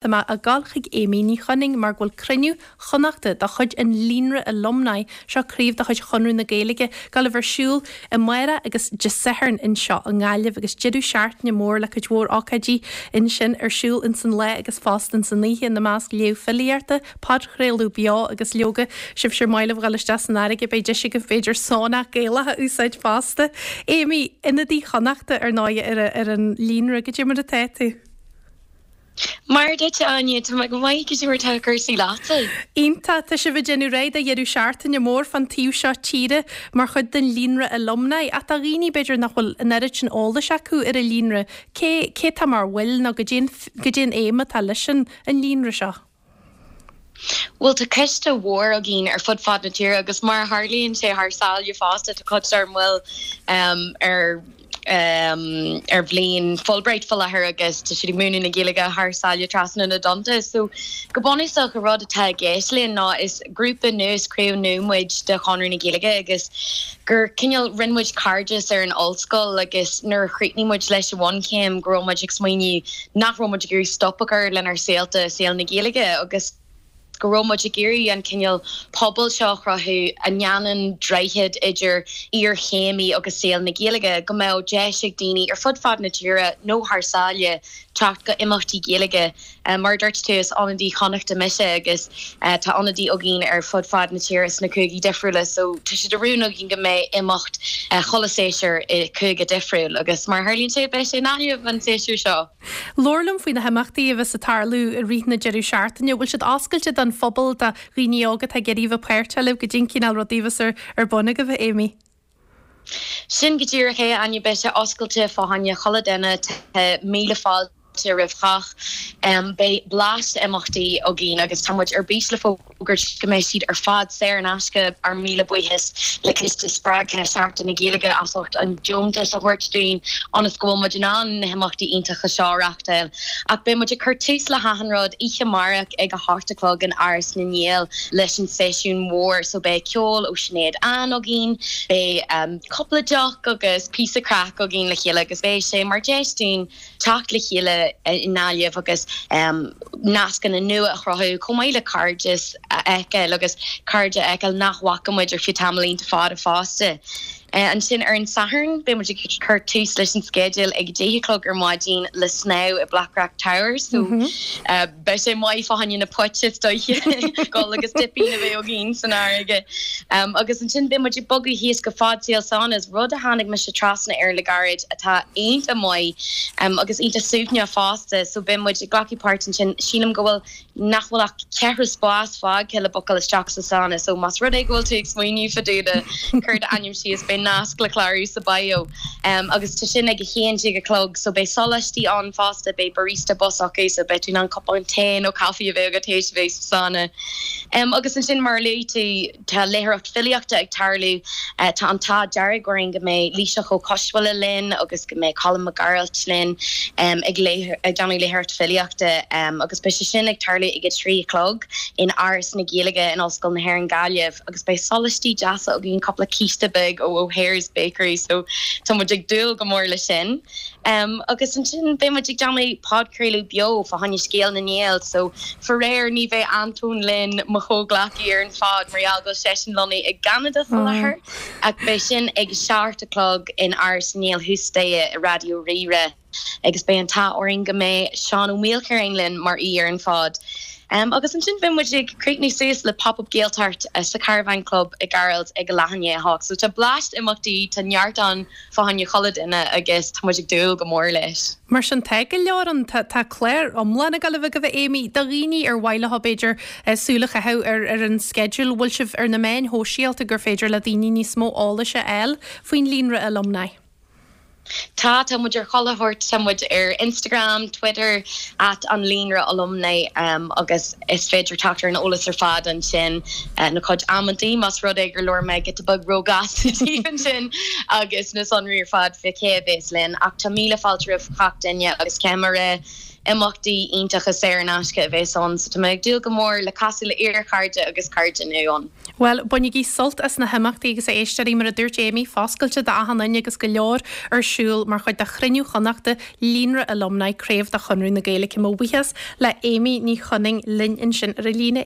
Tá mé ag dul chuig Amy Ní Chonaing mar go bhfuil cruinniú Chonnachta de chuid an Líonra Alumni, seo craobh de chuid Chonradh na Gaeilge, ag dul a bheith ar siúl amárach agus Dé Sathairn anseo i nGaillimh agus deireadh seachtaine mór le cuid mhór ócáidí ansin ar siúl ins an lá agus fosta ins an oíche, ina measc léamh filíochta, podchraoladh beo agus leoga, sibhse ar maith libh dhul isteach san fharraige, beidh deis agaibh b'fhéidir sauna Gaelach a úsáid fosta. Amy, ionadaí Chonnachta ar ndóigh ar an Líonra, goidé mar atá tú? Mar duit, a Áine, tá mé go maith, goidé mar atá cúrsaí leatsa? Iontach, tá sibh ag déanamh réidh do dheireadh seachtaine mór fán taobh seo tíre mar chuid den Líonra Alumni. Ach do dhaoine, b'fhéidir, nach bhfuil an oiread sin eolais acu ar an Líonra, cé, cé atá mar bhaill nó goidé an, goidé an aidhm atá leis an, an Líonra seo? Bhuel, tá coiste mhór againn ar fud fad na tíre agus mar a tharlaíonn sé thar sáile fosta, tá cuid dár mbaill ar ar bhliain Fulbright faoi láthair agus tá siad ag múineadh na Gaeilge thar sáile trasna na dtonnta. So, go bunúsach, an rud atá i gceist linn ná is grúpa nua, is craobh nua muid de Chonradh na Gaeilge agus gur cineál rinne muid cairdeas ar an ollscoil agus nuair a chríochnaigh muid leis an bhunchéim go raibh muid ag smaoineamh nach raibh muid ag iarraidh stop a chur lenár saolta i saol na Gaeilge agus go raibh muid ag iarraidh an cineál pobail seo a chruthú a ndéanann droichead idir iarchéimí agus saol na Gaeilge, go mbeadh deis ag daoine ar fud fad na tíre nó thar sáile teacht go imeachtaí Gaeilge. Mar a dúirt tú, is ionadaí Chonnachta mise agus tá ionadaí againn ar fud fad na tíre sna cúigí difriúla so tá sé de rún againn go mbeidh imeacht chuile séasúr i cúige difriúil agus mar a tharlaíonn sé beidh sé i nGaillimh an séasúr seo. Labhair liom faoi na himeachtaí a bheas ag tarlú i rith na deireadh seachtaine. Bhfuil siad oscailte don phobal, do dhaoine óga atá ag iarraidh a bheith páirteach libh? Goidé an cineál rudaí a bheas ar bun agaibh, a Amy? Sin go díreach é, a Áine. Beidh sé oscailte fá choinne chuile duine. Tá míle fáilte roimh chách. Beidh bleaist imeachtaí againn agus tá muid ar bís le fógairt go mbeidh siad ar fad saor in aisce. Ár míle buíochas le Ciste Spreagtha Sheachtain na Gaeilge as ucht an deontas a thabhairt dúinn ionas go bhfuil muid in ann na himeachtaí iontacha seo a reáchtáil. Ach beidh muid ag cur tús le hachan rud oíche amárach ag a hocht a chlog in Áras na nGael leis an seisiún mhór so beidh ceol ó Sinéad Ann againn, beidh cúpla deoch agus píosa craic againn le chéile agus beidh sé mar deis dúinn teacht le chéile i nGaillimh agus nascanna nua a chruthú, chomh maith le cairdeas a fheiceáil agus cairde a fheiceáil nach bhfaca muid ar feadh tamall iontach fada fosta. Ansin ar an Satharn, beidh muid ag cur tús leis an sceideal ag 10 a chlog ar maidin le snámh i Blackrock Towers so beidh sé maith fá choinne na poit is dóiche dul agus dipín a bheith againn san fharraige. Agus ansin beidh muid ag bogadh thíos go Fad Saol Saunas, rud a tháinig mise trasna air le gairid atá iontach maith agus iontach suaimhneach fosta so beidh muid ag glacadh páirt ansin. Sílim go bhfuil nach bhfuil ach ceithre spás fágtha le bookáil isteach sa sauna so más rud é go bhfuil tú ag smaoineamh fá dtaobh de cuir d'ainm síos, beidh nasc le clárú sa bio. Agus tá sin ag 11 a chlog so beidh soláistí ann fosta, beidh barista bus acu so beidh tú in ann cupán tae nó caife a bheith agat théis a bheith sa sauna. Agus ansin mar a luaigh tú, Tá léitheoireacht filíochta ag tarlú. Tá an t-ádh dearg orainn go mbeidh Laoighseach Ó Coisbhuaile linn agus go mbeidh Colm Mac Gearailt linn ag déanamh léitheoireacht filíochta agus beidh sé sin ag tarlú ag a 3 a chlog in Áras na Gaeilge in Ollscoil na hÉireann Gaillimh agus beidh sóláistí deasa againn, cúpla císte beag ó O'Hare's Bakery so tá muid ag dúil go mór leis sin. Agus ansin beidh muid ag déanamh podchraoladh beo fá choinne Scéal na nGael so faraor ní bheidh Antóin linn, mo chomhghleacaí ar an phod, mar gheall go bhfuil seisean lonnaithe i gCeanada faoi láthair ach beidh sin ag a seacht a chlog in Áras na nGael thuas staighre i Raidió Rí-Rá agus beidh an t-ádh orainn go mbeidh Seán Ó Maoilchiaráin linn mar aoi ar an phod. Agus ansin beidh muid ag críochnú suas le Pop Up Gaeltacht sa Caravan Club i gCarld ag a leath i ndiaidh a hocht. So tá bleaist imeachtaí, tá neart ann fá choinne chuile duine agus tá muid ag dúil go mór leis. Mar sin tá go leor ann. Tá tá clár iomlán ag dul a bheith agaibh a Amy. Do dhaoine ar mhaith leo b'fhéidir súil a chaitheamh ar ar an sceideal, bhfuil sibh ar na meáin shóisialta gur féidir le daoine níos mó eolais a fháil faoin Líonra Alumni? Tá, tá muid ar chuile shórt, tá muid ar Instagram, Twitter, at an Líonra Alumni agus is féidir teacht ar an eolas ar fad ansin, na cuid amantaí, más rud é gur labhair mé giota beag róghasta daoibh ansin, agus na sonraí ar fad fé cé a bhéas linn. Ach tá míle fáilte roimh gach duine agus caithfidh mé a rá. Imeachtaí iontacha saor in aisce a bheas ann so tá mé ag dúil go mór le casadh le iar-chairde agus cairde nua ann. Bhuel, bainigí sult as na himeachtaí agus a éisteoirí, mar a dúirt Amy, foscailte d'achan duine agus go leor ar siúl mar chuid de Chruinniú Chonnachta Líonra Alumni, Craobh de Chonradh na Gaeilge. Mo bhuíochas le Amy Ní Chonaing linn ansin ar an líne.